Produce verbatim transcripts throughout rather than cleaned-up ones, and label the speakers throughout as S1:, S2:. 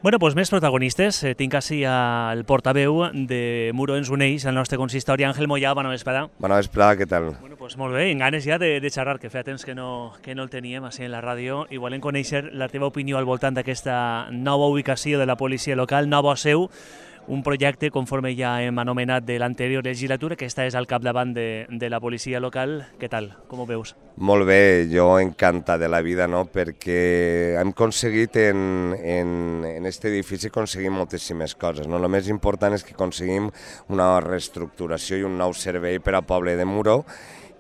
S1: Bueno, doncs més protagonistes. Eh, tinc així el portaveu de Muro ens uneix al nostre consistori, Àngel Moyà. Bona vesprada.
S2: Bona vesprada, què tal?
S1: Bueno, doncs molt bé, en ganes ja de, de xerrar, que feia temps que no, que no el teníem així en la ràdio, i volem conèixer la teva opinió al voltant d'aquesta nova ubicació de la policia local, nova seu, un projecte, conforme ja hem anomenat, de l'anterior legislatura, que esta és al capdavant de, de la policia local. Què tal? Com ho veus?
S2: Molt bé, jo encantat de la vida, no? Perquè hem aconseguit en, en, en este edifici aconseguim moltíssimes coses, no? El més important és que aconseguim una reestructuració i un nou servei per al poble de Muro,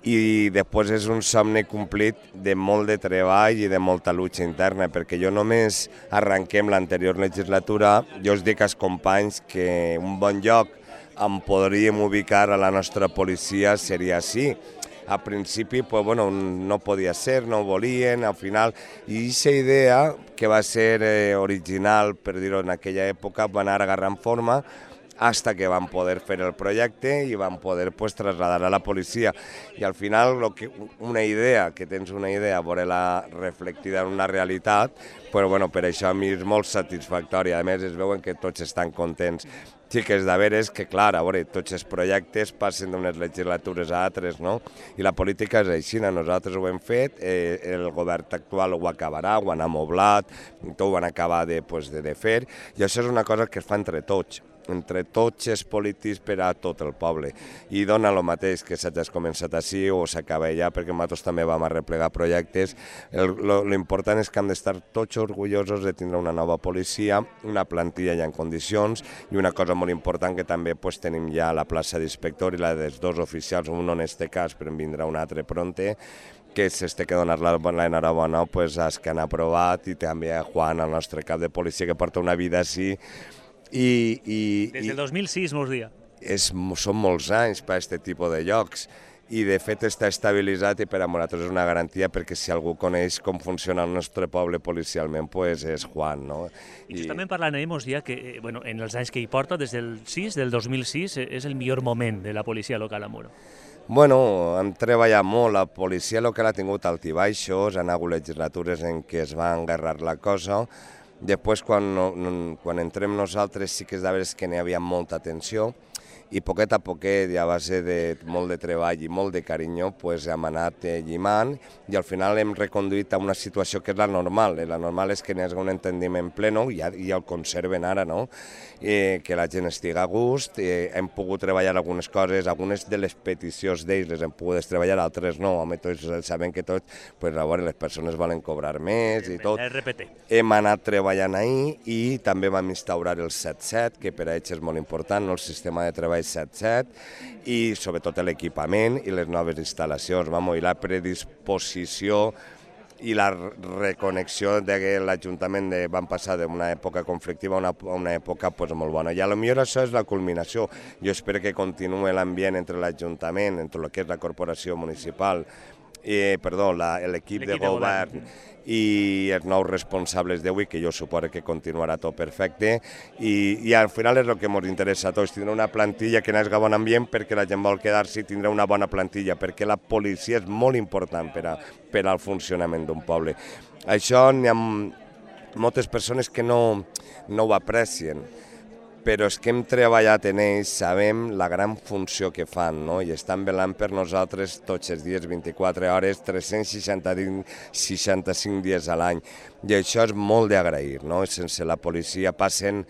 S2: i després és un somni complit de molt de treball i de molta lucha interna, perquè jo només arrenquem l'anterior legislatura, jo us dic als companys que un bon lloc on podríem ubicar a la nostra policia seria així. Al principi pues, bueno, no podia ser, no ho volien, al final, i aquesta idea, que va ser eh, original, per dir-ho en aquella època, va anar agarrant forma, hasta que van poder fer el projecte i van poder pues, traslladar a la policia. I al final lo que, una idea, que tens una idea, veure-la reflectida en una realitat, però bueno, per això a mi és molt satisfactori. A més, es veuen que tots estan contents. Sí que és de veres que, clar, a veure, tots els projectes passen d'unes legislatures a altres, no? I la política és així, nosaltres ho hem fet, eh, el govern actual ho acabarà, ho han amoblat, tot ho van acabar de, pues, de, de fer, i això és una cosa que es fa entre tots, entre tots els polítics per a tot el poble. I dona el mateix que s'hagi començat així o s'acaba ja, perquè nosaltres també vam arreplegar projectes. L'important és que hem d'estar tots orgullosos de tindre una nova policia, una plantilla ja en condicions, i una cosa molt important que també pues, tenim ja la plaça d'inspector i la dels dos oficials, un en este cas, però en vindrà un altre pronte, que s'este que donar l'enhorabona pues, als que han aprovat, i també a Juan, el nostre cap de policia, que porta una vida així. I, i,
S1: Des del dos mil sis, mos dia.
S2: És, són molts anys per a aquest tipus de llocs, i de fet està estabilitzat, i per a nosaltres és una garantia, perquè si algú coneix com funciona el nostre poble policialment, pues és Juan, no?
S1: I justament parlant ell, mos dia que bueno, en els anys que hi porta, des del sis, del dos mil sis, és el millor moment de la policia local a Muro.
S2: Bueno, hem treballat molt, la policia local ha tingut altibaixos, han hagut legislatures en què es va engarrar la cosa. Després, quan, quan entrem nosaltres, sí que és de veres que n'hi havia molta tensió, i poquet a poquet, a base de molt de treball i molt de carinyo, pues, hem anat llimant, i al final hem reconduït a una situació que és la normal. La normal és que n'hi hagi un entendiment pleno, i ja, ja el conserven ara, no? Eh, que la gent estigui a gust, eh, hem pogut treballar algunes coses, algunes de les peticions d'ells les hem pogut treballar, altres no, home, tots sabem que tots, pues, a veure, les persones volen cobrar més i tot. Hem anat treballant ahir, i també vam instaurar el set set, que per a ells és molt important, no? El sistema de treball set set, i sobretot l'equipament i les noves instal·lacions, vamos, i la predisposició i la reconnexió de que l'Ajuntament van passar d'una època conflictiva a una, una època pues, molt bona. I potser això és la culminació. Jo espero que continuï l'ambient entre l'Ajuntament, entre el que és la corporació municipal, eh, perdó, l'equip de govern i els nous responsables d'avui, que jo suposo que continuarà tot perfecte, i, i al final és el que ens interessa a tots, tindre una plantilla que n'hagi bon ambient, perquè la gent vol quedar-s'hi i tindre una bona plantilla, perquè la policia és molt important per, a, per al funcionament d'un poble. Això n'hi ha moltes persones que no, no ho aprecien, però és que hem treballat en ells, sabem la gran funció que fan, no? I estan velant per nosaltres tots els dies, vint-i-quatre hores, tres-cents seixanta-cinc dies a l'any. I això és molt d'agrair, no? Sense la policia passen,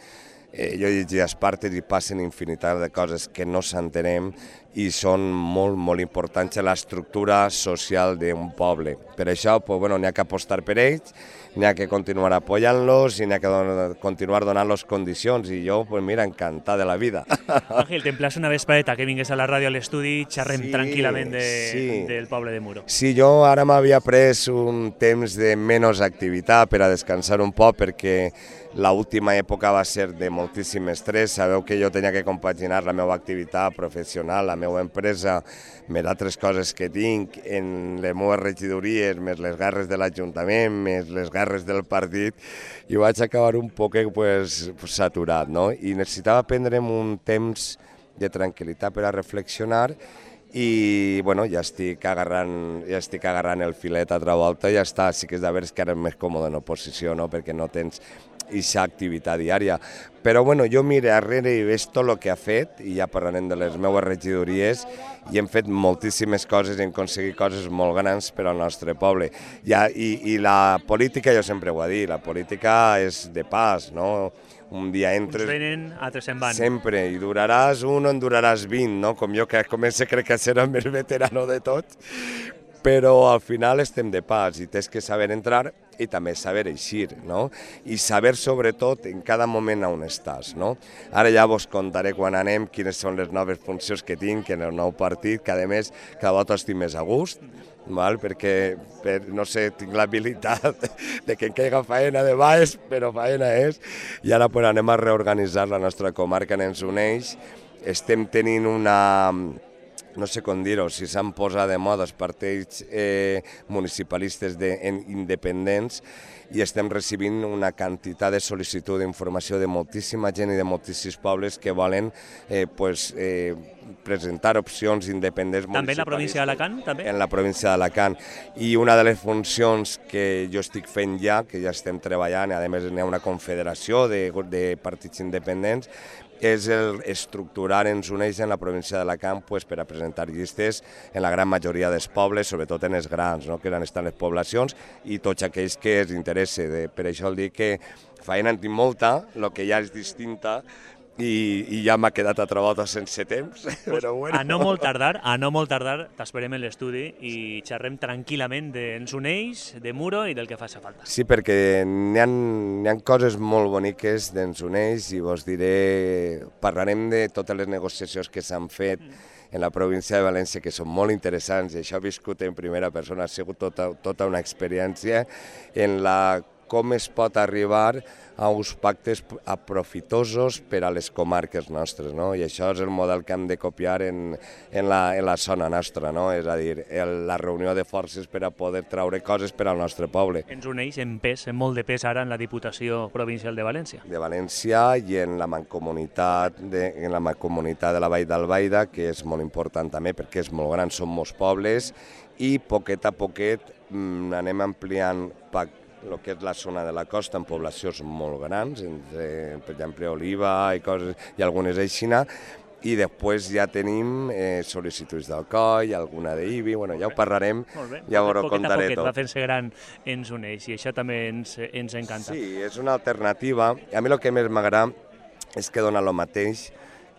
S2: eh, jo llegia Espartes, i passen infinitat de coses que no s'entenem i són molt, molt importants a l'estructura social d'un poble. Per això, pues, bueno, n'hi ha que apostar per ells, n'hi ha que continuar apoyant-los i n'hi ha que don continuar donant-los condicions, i jo, pues mira, encantat de la vida.
S1: Àngel, t'emplaço una vespreta que vingués a la ràdio a l'estudi, xerrem sí, tranquil·lament de, sí. del poble de Muro.
S2: Sí, jo ara m'havia pres un temps de menys activitat per a descansar un poc, perquè l'última època va ser de moltíssim estrès. Sabeu que jo tenia que compaginar la meva activitat professional, la meva empresa, més altres coses que tinc en les meves regidories, més les guerres de l'Ajuntament, més les guerres del partit, i vaig acabar un poc pues, saturat, no? I necessitava prendre'm un temps de tranquil·litat per a reflexionar, i bueno, ja estic agarrant, ja estic agarrant el filet a altra volta i ja està. Sí que és de veres que ara és més còmode en oposició, no? Perquè no tens aquesta activitat diària. Però bueno, jo miro darrere i veig tot el que ha fet, i ja parlarem de les meves regidories, i hem fet moltíssimes coses i hem aconseguit coses molt grans per al nostre poble. I, i, i la política, jo sempre ho he dit, la política és de pas, no? Un dia entres...
S1: Uns venen, altres se'n van.
S2: Sempre, i duraràs un o en duraràs vint, no? Com jo, que començo crec que serà el més veterano de tots, però al final estem de pas i tens que saber entrar i també saber eixir, no? I saber sobretot en cada moment on estàs, no? Ara ja vos contaré quan anem quines són les noves funcions que tinc en el nou partit, que a més cada volta estic més a gust, val? Perquè, per, no sé, tinc l'habilitat de que em caiga faena de baix, però faena és, i ara pues, anem a reorganitzar la nostra comarca en ens uneix, estem tenint una... no sé com dir-ho, si s'han posat de moda els partits eh, municipalistes de, en, independents, i estem recibint una quantitat de sol·licitud d'informació de moltíssima gent i de moltíssims pobles que volen eh, pues, eh, presentar opcions independents municipalistes.
S1: També en la província d'Alacant? També?
S2: En la província d'Alacant. I una de les funcions que jo estic fent ja, que ja estem treballant, i a més hi ha una confederació de, de partits independents, és el estructurar ens uneix en la província d'Alacant pues, per a presentar llistes en la gran majoria dels pobles, sobretot en els grans, no? Que eren estan les poblacions, i tots aquells que els interessa. De, per això el dic que feina en tinc molta, el que ja és distinta, i, i ja m'ha quedat a trobar sense temps, però bueno.
S1: A no molt tardar, a no molt tardar, t'esperem en l'estudi i xerrem tranquil·lament d'Ens Uneix, de Muro i del que faci falta.
S2: Sí, perquè n'hi ha, n'hi ha coses molt boniques d'Ens Uneix i vos diré, parlarem de totes les negociacions que s'han fet en la província de València, que són molt interessants, i això he viscut en primera persona, ha sigut tota, tota una experiència en la com es pot arribar a uns pactes aprofitosos per a les comarques nostres, no? I això és el model que hem de copiar en, en, la, en la zona nostra, no? És a dir, el, la reunió de forces per a poder traure coses per al nostre poble.
S1: Ens uneix en pes, en molt de pes ara en la Diputació Provincial de València.
S2: De València i en la mancomunitat de, en la mancomunitat de la Vall d'Albaida, que és molt important també perquè és molt gran, són molts pobles, i poquet a poquet mm, anem ampliant pactes, el que és la zona de la costa en poblacions molt grans, entre, per exemple, Oliva i, coses, i algunes aixina, i després ja tenim eh, sol·licituds d'Alcoi, alguna d'Ibi, bueno, ja ho parlarem, ja ho contaré
S1: poquet,
S2: tot.
S1: Va fent-se gran Ens Uneix, i això també ens, ens encanta.
S2: Sí, és una alternativa. A mi el que més m'agrada és que dona el mateix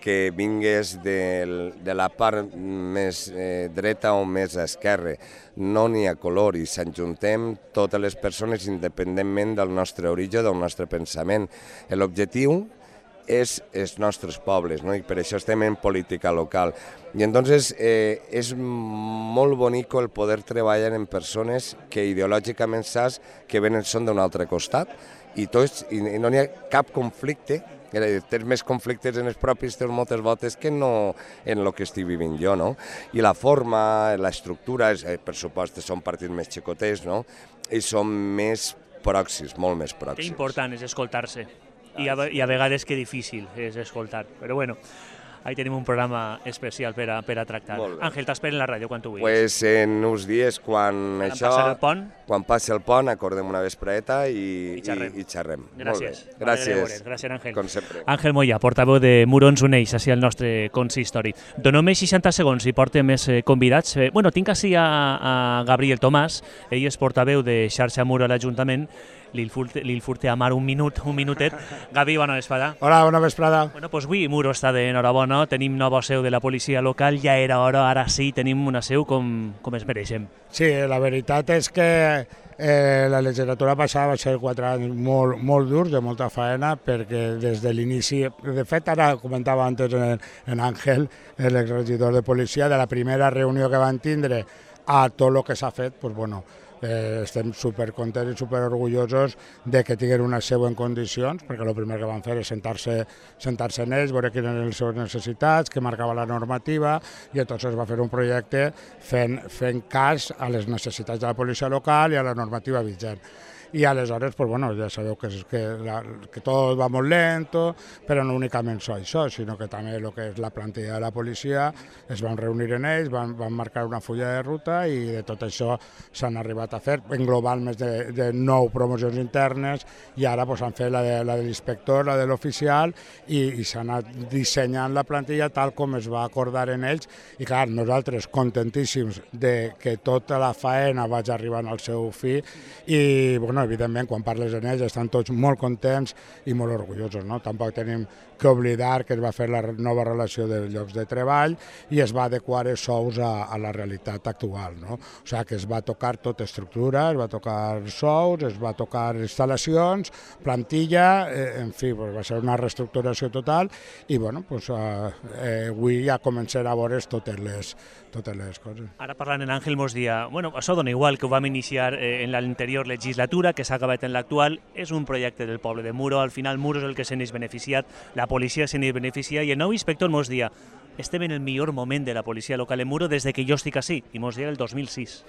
S2: que vingués de, de la part més eh, dreta o més a esquerra. No n'hi ha color i s'enjuntem totes les persones independentment del nostre origen, del nostre pensament. L'objectiu és els nostres pobles, no? I per això estem en política local. I entonces eh, és molt bonic el poder treballar en persones que ideològicament saps que venen són d'un altre costat i, tots, i no n'hi ha cap conflicte. Tens més conflictes en els propis teus moltes voltes que no en el que estic vivint jo, no? I la forma, l'estructura, per supost, són partits més xicotets, no? I són més pròxims, molt més pròxims.
S1: Que important és escoltar-se, i a, i a vegades que difícil és escoltar, però bueno, ahí tenim un programa especial per a, per a tractar. Àngel, t'espero en la ràdio quan tu vulguis.
S2: Pues en uns dies, quan, quan això...
S1: Quan el pont?
S2: Quan passi el pont, acordem una vespreta i,
S1: I xerrem.
S2: I, i xerrem.
S1: Gràcies.
S2: Molt bé. Gràcies.
S1: Gràcies, Àngel.
S2: Com sempre.
S1: Àngel Moya, portaveu de Muro Ens Uneix, així al nostre consistori. Donem seixanta segons i portem més convidats. Bueno, tinc així a, a Gabriel Tomàs, ell és portaveu de Xarxa Muro a l'Ajuntament. Li furte a Mar un minut, un minutet. Gavi, bona vesprada.
S3: Hola, bona vesprada.
S1: Bueno, doncs avui Muro està d'enhorabona, tenim nova seu de la policia local, ja era hora, ara sí, tenim una seu com, com es mereixem.
S3: Sí, la veritat és que eh, la legislatura passada va ser quatre anys molt, molt durs, de molta faena, perquè des de l'inici, de fet ara comentava antes en, en Àngel, l'exregidor de policia, de la primera reunió que van tindre a tot el que s'ha fet, doncs bueno, Eh, estem supercontents i superorgullosos de que tinguin una seu en condicions, perquè el primer que van fer és sentar-se sentar-se en ells, veure quines eren les seves necessitats, que marcava la normativa, i llavors es va fer un projecte fent, fent cas a les necessitats de la policia local i a la normativa vigent. i aleshores, pues, bueno, ja sabeu que, és, que, la, que tot va molt lento, però no únicament això, sinó que també el que és la plantilla de la policia es van reunir en ells, van, van marcar una fulla de ruta i de tot això s'han arribat a fer, en global més de, de nou promocions internes i ara pues, han fet la de, la de l'inspector, la de l'oficial i, i s'ha anat dissenyant la plantilla tal com es va acordar en ells i clar, nosaltres contentíssims de que tota la faena vagi arribant al seu fi i bueno, evidentment quan parles en ells estan tots molt contents i molt orgullosos, no? Tampoc tenim que oblidar que es va fer la nova relació de llocs de treball i es va adequar els sous a, a la realitat actual, no? O sigui que es va tocar tota estructura, es va tocar sous, es va tocar instal·lacions, plantilla, eh, en fi, pues va ser una reestructuració total i bueno, pues, eh, eh, avui ja començarem a veure totes les, totes les coses.
S1: Ara parlant en Àngel mos dia, bueno, això dona igual que ho vam iniciar eh, en l'anterior legislatura, que s'ha acabat en l'actual, és un projecte del poble de Muro, al final Muro és el que se n'és beneficiat, la policia se n'és beneficia i el nou inspector mos dia estem en el millor moment de la policia local en Muro des de que jo estic així, i mos dia el dos mil sis.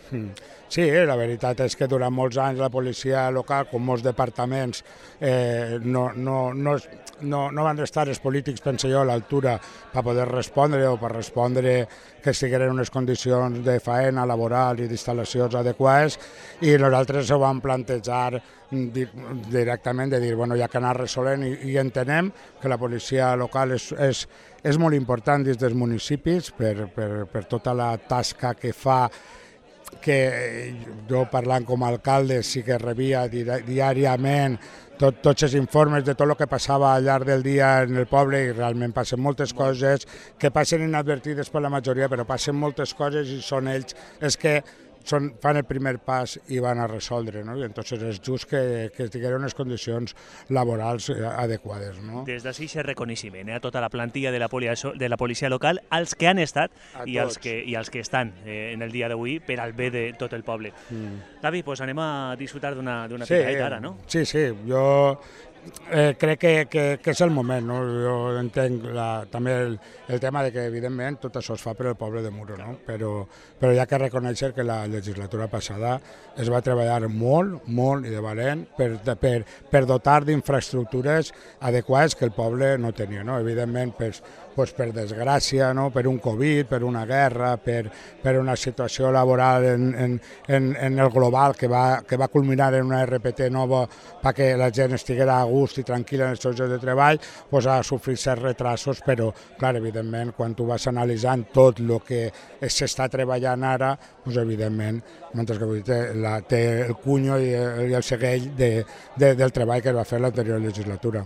S3: Sí, la veritat és que durant molts anys la policia local, com molts departaments, eh, no, no, no, no, no van estar els polítics, penso jo, a l'altura per poder respondre o per respondre que estigueren unes condicions de faena laboral i d'instal·lacions adequades i nosaltres ho vam plantejar directament de dir, bueno, ja que anar resolent i, i entenem que la policia local és, és, és molt important dins dels municipis per, per, per tota la tasca que fa, que jo parlant com a alcalde sí que rebia di diàriament tot, tots els informes de tot el que passava al llarg del dia en el poble i realment passen moltes coses que passen inadvertides per la majoria, però passen moltes coses i són ells els que Son, fan el primer pas i van a resoldre, no? I entonces és just que, que tinguin unes condicions laborals adequades, no?
S1: Des d'ací se reconeixement eh, a tota la plantilla de la, policia, de la policia local, als que han estat i als que, i als que estan eh, en el dia d'avui per al bé de tot el poble. Mm. David, pues anem a disfrutar d'una
S3: sí,
S1: picadeta ara, no?
S3: Sí, sí, jo Eh, crec que, que, que és el moment, no? Jo entenc la, també el, el tema de que evidentment tot això es fa per al poble de Muro, no? però, però hi ha que reconèixer que la legislatura passada es va treballar molt, molt i de valent per, per, per dotar d'infraestructures adequades que el poble no tenia, no? Evidentment pues, pues per desgràcia, no? Per un Covid, per una guerra, per, per una situació laboral en, en, en, en el global que va, que va culminar en una R P T nova perquè la gent estiguera a gust i tranquil·la en els seus llocs de treball, pues ha sofrit certs retrasos, però, clar, evidentment, quan tu vas analitzant tot el que s'està treballant ara, pues, evidentment, mentre que té, la, té el cunyo i el, i el segell de, de, del treball que es va fer l'anterior legislatura.